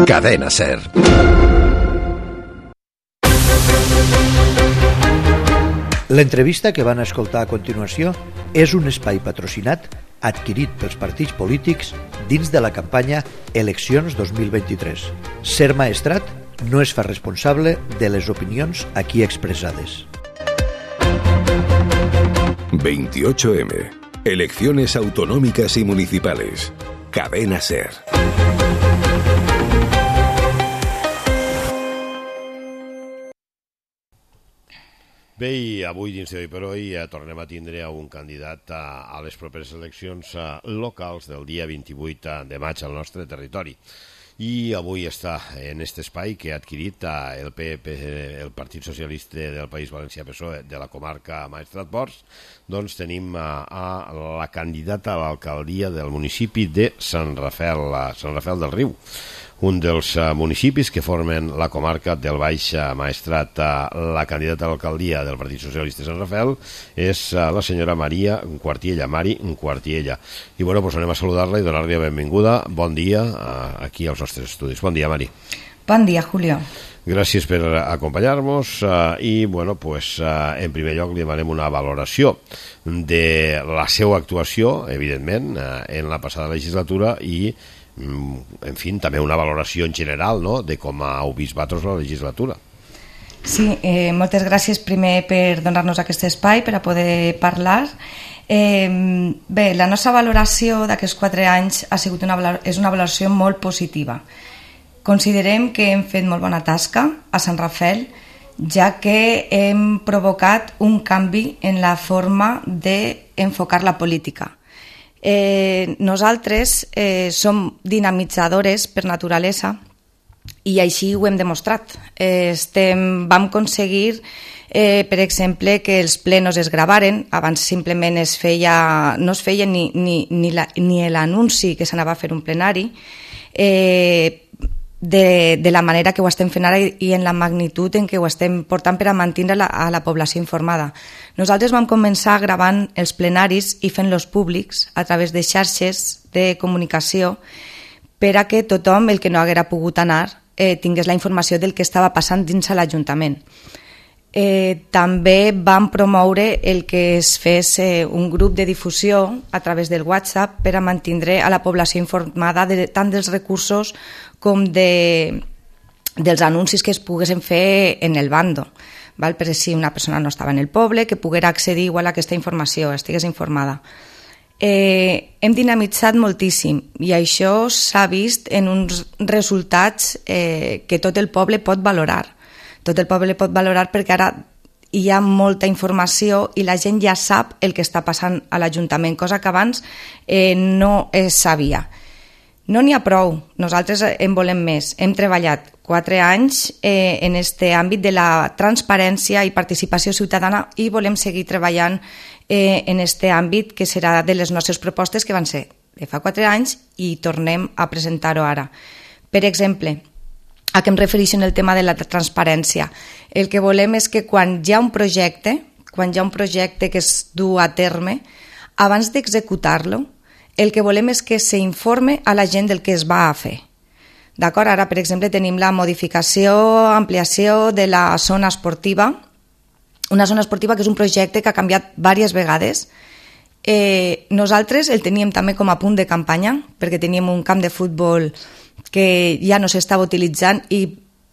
Cadena SER. L'entrevista que van escoltar a continuació és un espai patrocinat adquirit pels partits polítics dins de la campanya Eleccions 2023. SER Maestrat no es fa responsable de les opinions aquí expressades. 28M. Elecciones autonómicas y municipales. Cadena SER. Bé, i avui dins d'Hoy per Hoy tornem a tindre un candidat a les properes eleccions locals del dia 28 de maig al nostre territori. I avui està en aquest espai que ha adquirit el el Partit Socialista del País Valencià PSOE de la comarca Maestrat-Ports. Doncs tenim a la candidata a l'alcaldia del municipi de Sant Rafel del Riu, un dels municipis que formen la comarca del Baix Maestrat. La candidata a l'alcaldia del Partit Socialista de Sant Rafel és la senyora Maria Quartiella, Mari Quartiella. I bueno, pues anem a saludar-la i donar-li la benvinguda. Bon dia aquí als nostres estudis. Bon dia, Mari. Bon dia, Julio. Gràcies per acompanyar-nos i, bueno, pues, en primer lloc li demanem una valoració de la seva actuació, evidentment, en la passada legislatura i, en fi, també una valoració en general, no?, de com heu vist vosaltres la legislatura. Sí, moltes gràcies primer per donar-nos aquest espai per a poder parlar. Bé, la nostra valoració d'aquests 4 anys és una valoració molt positiva. Considerem que hem fet molt bona tasca a Sant Rafel, ja que hem provocat un canvi en la forma d'enfocar la política. Nosaltres som dinamitzadores per naturalesa i així ho hem demostrat. Vam aconseguir, per exemple, que els plenos es gravaren. Abans simplement no es feia ni l'anunci que s'anava a fer un plenari, de la manera que ho estem fent ara i en la magnitud en què ho estem portant per a mantenir a la població informada. Nosaltres vam començar gravant els plenaris i fent-los públics a través de xarxes de comunicació per a que tothom, el que no haguera pogut anar, tingués la informació del que estava passant dins l'Ajuntament. També vam promoure el que es fes un grup de difusió a través del WhatsApp per a mantenir a la població informada tant dels recursos com dels anuncis que es poguessin fer en el bando, per si una persona no estava en el poble, que poguera accedir igual a aquesta informació, estigués informada. Hem dinamitzat moltíssim i això s'ha vist en uns resultats que tot el poble pot valorar. Tot el poble pot valorar perquè ara hi ha molta informació i la gent ja sap el que està passant a l'Ajuntament, cosa que abans no es sabia. No n'hi ha prou, nosaltres en volem més. Hem treballat 4 anys en aquest àmbit de la transparència i participació ciutadana i volem seguir treballant en aquest àmbit que serà de les nostres propostes que van ser de fa 4 anys i tornem a presentar-ho ara. Per exemple, a què em refereixo en el tema de la transparència? El que volem és que quan hi ha un projecte que es du a terme, abans d'executar-lo, el que volem és que s'informe a la gent del que es va a fer. D'acord? Ara, per exemple, tenim la modificació, ampliació de la zona esportiva, una zona esportiva que és un projecte que ha canviat diverses vegades. Nosaltres el teníem també com a punt de campanya, perquè teníem un camp de futbol que ja no s'estava utilitzant i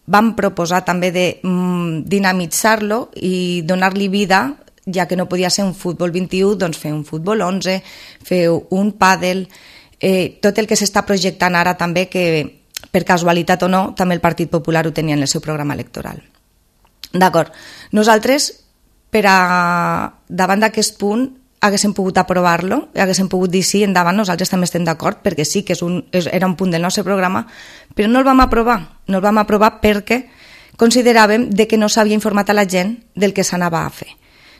vam proposar també de dinamitzar-lo i donar-li vida, ja que no podia ser un futbol 21, doncs fer un futbol 11, fer un pàdel, tot el que s'està projectant ara també, que per casualitat o no, també el Partit Popular ho tenia en el seu programa electoral. D'acord, nosaltres, davant d'aquest punt, haguéssim pogut aprovar-lo, haguéssim pogut dir sí, endavant, nosaltres també estem d'acord, perquè sí que era un punt del nostre programa, però no el vam aprovar. No el vam aprovar perquè consideràvem que no s'havia informat a la gent del que s'anava a fer.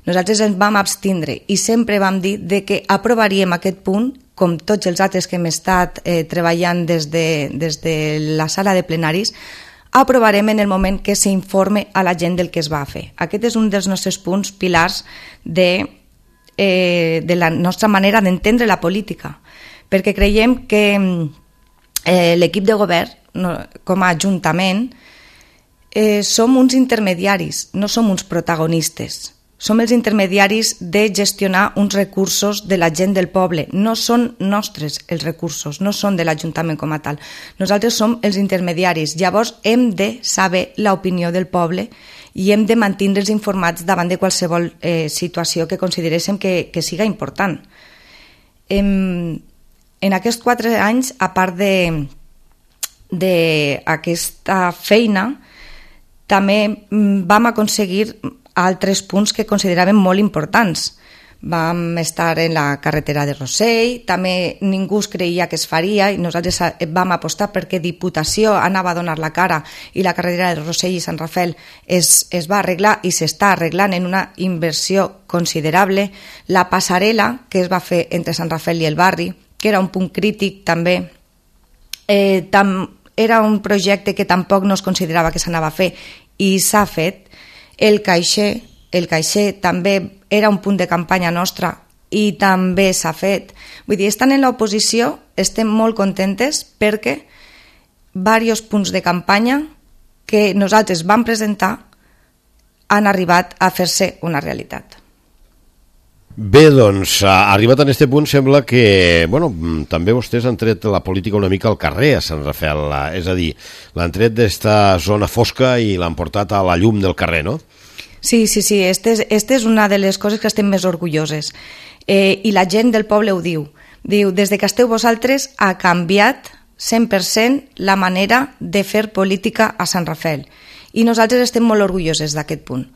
Nosaltres ens vam abstindre i sempre vam dir que aprovaríem aquest punt, com tots els altres que hem estat treballant des de la sala de plenaris, aprovarem en el moment que s'informe a la gent del que es va fer. Aquest és un dels nostres punts pilars de la nostra manera d'entendre la política, perquè creiem que l'equip de govern, com a ajuntament, som uns intermediaris, no som uns protagonistes. Som els intermediaris de gestionar uns recursos de la gent del poble. No són nostres els recursos, no són de l'Ajuntament com a tal. Nosaltres som els intermediaris. Llavors hem de saber l'opinió del poble i hem de mantindre'ls informats davant de qualsevol situació que consideréssim que siga important. En aquests 4 anys, a part d'aquesta feina, també vam aconseguir altres punts que consideràvem molt importants. Vam estar en la carretera de Rossell, també ningú es creia que es faria i nosaltres vam apostar perquè Diputació anava a donar la cara i la carretera de Rossell i Sant Rafel es va arreglar i s'està arreglant en una inversió considerable. La passarel·la que es va fer entre Sant Rafel i el barri, que era un punt crític també, era un projecte que tampoc no es considerava que s'anava a fer i s'ha fet. El caixer també era un punt de campanya nostra i també s'ha fet. Vull dir, estant en l'oposició estem molt contentes perquè diversos punts de campanya que nosaltres vam presentar han arribat a fer-se una realitat. Bé, doncs, arribat a aquest punt sembla que, també vostès han tret la política una mica al carrer a Sant Rafel, és a dir, l'han tret d'esta zona fosca i l'han portat a la llum del carrer, no? Sí, esta és una de les coses que estem més orgulloses. I la gent del poble ho diu. Diu, des que esteu vosaltres ha canviat 100% la manera de fer política a Sant Rafel. I nosaltres estem molt orgulloses d'aquest punt,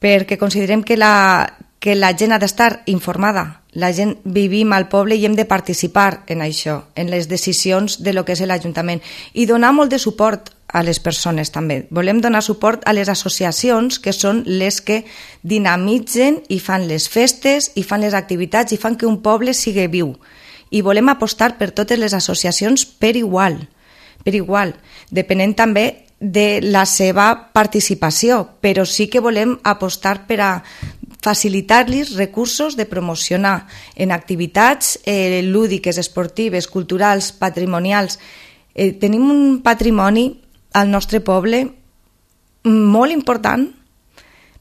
perquè considerem que la gent ha d'estar informada, la gent vivim al poble i hem de participar en això, en les decisions de lo que és l'Ajuntament i donar molt de suport a les persones també. Volem donar suport a les associacions que són les que dinamitzen i fan les festes i fan les activitats i fan que un poble sigui viu. I volem apostar per totes les associacions per igual, depenent també de la seva participació, però sí que volem apostar per a facilitar-los recursos de promocionar en activitats lúdiques, esportives, culturals, patrimonials. Tenim un patrimoni al nostre poble molt important,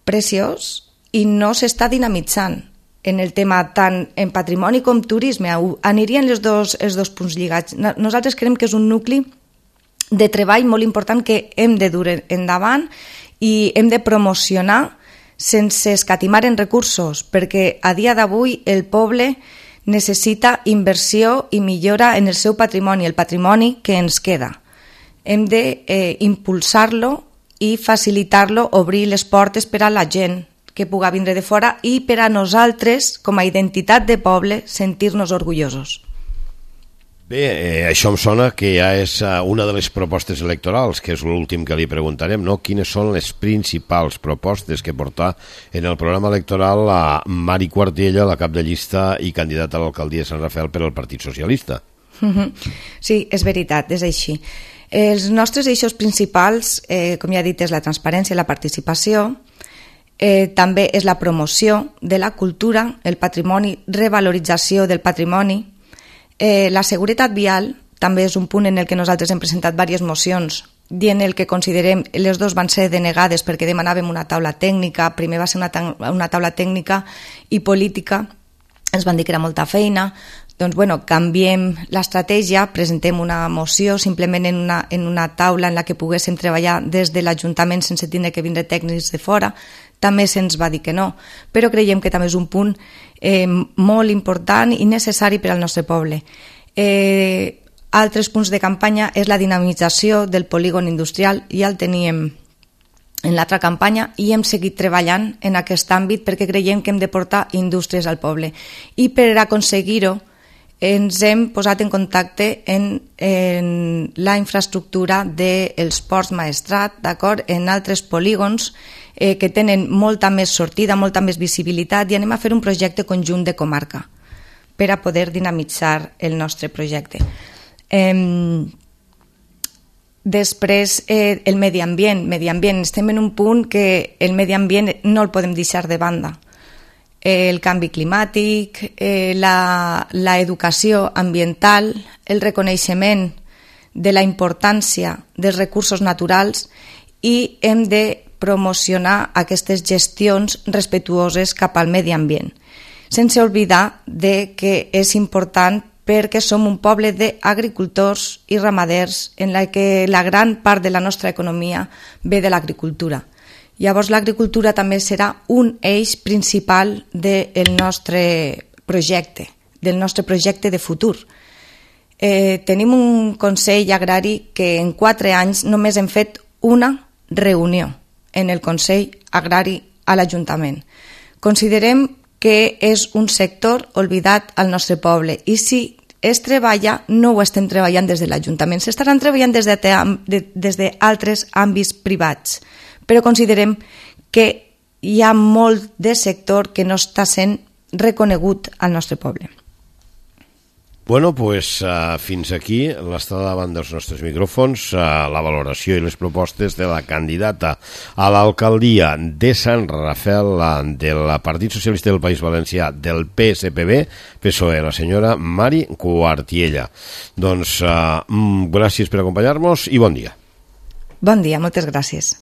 preciós, i no s'està dinamitzant en el tema tant en patrimoni com turisme. Anirien els dos punts lligats. Nosaltres creiem que és un nucli de treball molt important que hem de dur endavant i hem de promocionar sense escatimar en recursos, perquè a dia d'avui el poble necessita inversió i millora en el seu patrimoni, el patrimoni que ens queda. Hem d'impulsar-lo i facilitar-lo, obrir les portes per a la gent que puga vindre de fora i per a nosaltres, com a identitat de poble, sentir-nos orgullosos. Bé, això em sona que ja és una de les propostes electorals, que és l'últim que li preguntarem, no? Quines són les principals propostes que porta en el programa electoral a Mari Quartiella, la cap de llista i candidata a l'alcaldia de Sant Rafel per al Partit Socialista? Sí, és veritat, és així. Els nostres eixos principals, com ja he dit, és la transparència i la participació, també és la promoció de la cultura, el patrimoni, revalorització del patrimoni. La seguretat vial també és un punt en el que nosaltres hem presentat diverses mocions dient el que considerem, les dues van ser denegades perquè demanàvem una taula tècnica, primer va ser una taula tècnica i política, ens van dir que era molta feina, doncs canviem l'estratègia, presentem una moció simplement en una taula en la que poguéssim treballar des de l'Ajuntament sense tindre que vindre tècnics de fora. També se'ns va dir que no, però creiem que també és un punt molt important i necessari per al nostre poble. Altres punts de campanya és la dinamització del polígon industrial, ja el teníem en l'altra campanya i hem seguit treballant en aquest àmbit perquè creiem que hem de portar indústries al poble. I per aconseguir-ho ens hem posat en contacte en la infraestructura dels ports Maestrat, d'acord, en altres polígons que tenen molta més sortida, molta més visibilitat i anem a fer un projecte conjunt de comarca per a poder dinamitzar el nostre projecte. Després, el medi ambient. Estem en un punt que el medi ambient no el podem deixar de banda. El canvi climàtic, la educació ambiental, el reconeixement de la importància dels recursos naturals i hem de promocionar aquestes gestions respectuoses cap al medi ambient, sense oblidar que és important perquè som un poble d'agricultors i ramaders en la que la gran part de la nostra economia ve de l'agricultura. Llavors l'agricultura també serà un eix principal del nostre projecte de futur. Tenim un Consell Agrari que en 4 anys només hem fet una reunió en el Consell Agrari a l'Ajuntament. Considerem que és un sector oblidat al nostre poble i si es treballa, no ho estem treballant des de l'Ajuntament, s'estaran treballant des d'altres àmbits privats, però considerem que hi ha molt de sector que no està sent reconegut al nostre poble. Bueno, pues fins aquí l'estada davant dels nostres micròfons, la valoració i les propostes de la candidata a l'alcaldia de Sant Rafel del Partit Socialista del País Valencià del PSPB-PSOE, la senyora Mari Cuartiella. Doncs gràcies per acompanyar-nos i bon dia. Bon dia, moltes gràcies.